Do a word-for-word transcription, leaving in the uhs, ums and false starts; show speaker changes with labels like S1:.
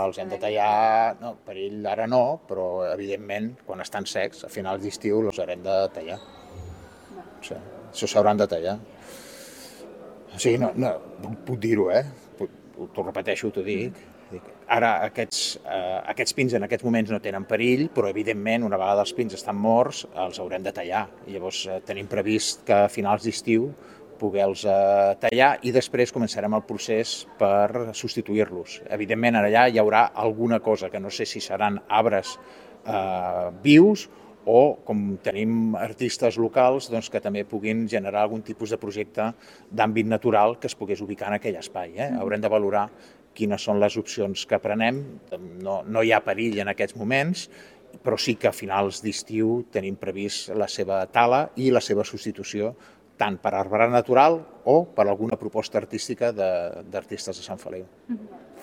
S1: els hem de tallar, no, perill ara no, però evidentment quan estan secs, a finals d'estiu, els haurem de tallar. O sigui, això s'hauran de tallar. O sigui, no, no, puc dir-ho, eh? T'ho repeteixo, t'ho dic. Ara, aquests, eh, aquests pins en aquests moments no tenen perill, però evidentment, una vegada els pins estan morts, els haurem de tallar. I llavors eh, tenim previst que a finals d'estiu poder-los eh, tallar i després començarem el procés per substituir-los. Evidentment, allà hi haurà alguna cosa, que no sé si seran arbres eh, vius o, com tenim artistes locals, doncs, que també puguin generar algun tipus de projecte d'àmbit natural que es pogués ubicar en aquell espai. Eh? Haurem de valorar quines són les opcions que prenem. No, no hi ha perill en aquests moments, però sí que a finals d'estiu tenim previst la seva tala i la seva substitució tant per arbre natural o per alguna proposta artística d'artistes de Sant Feliu.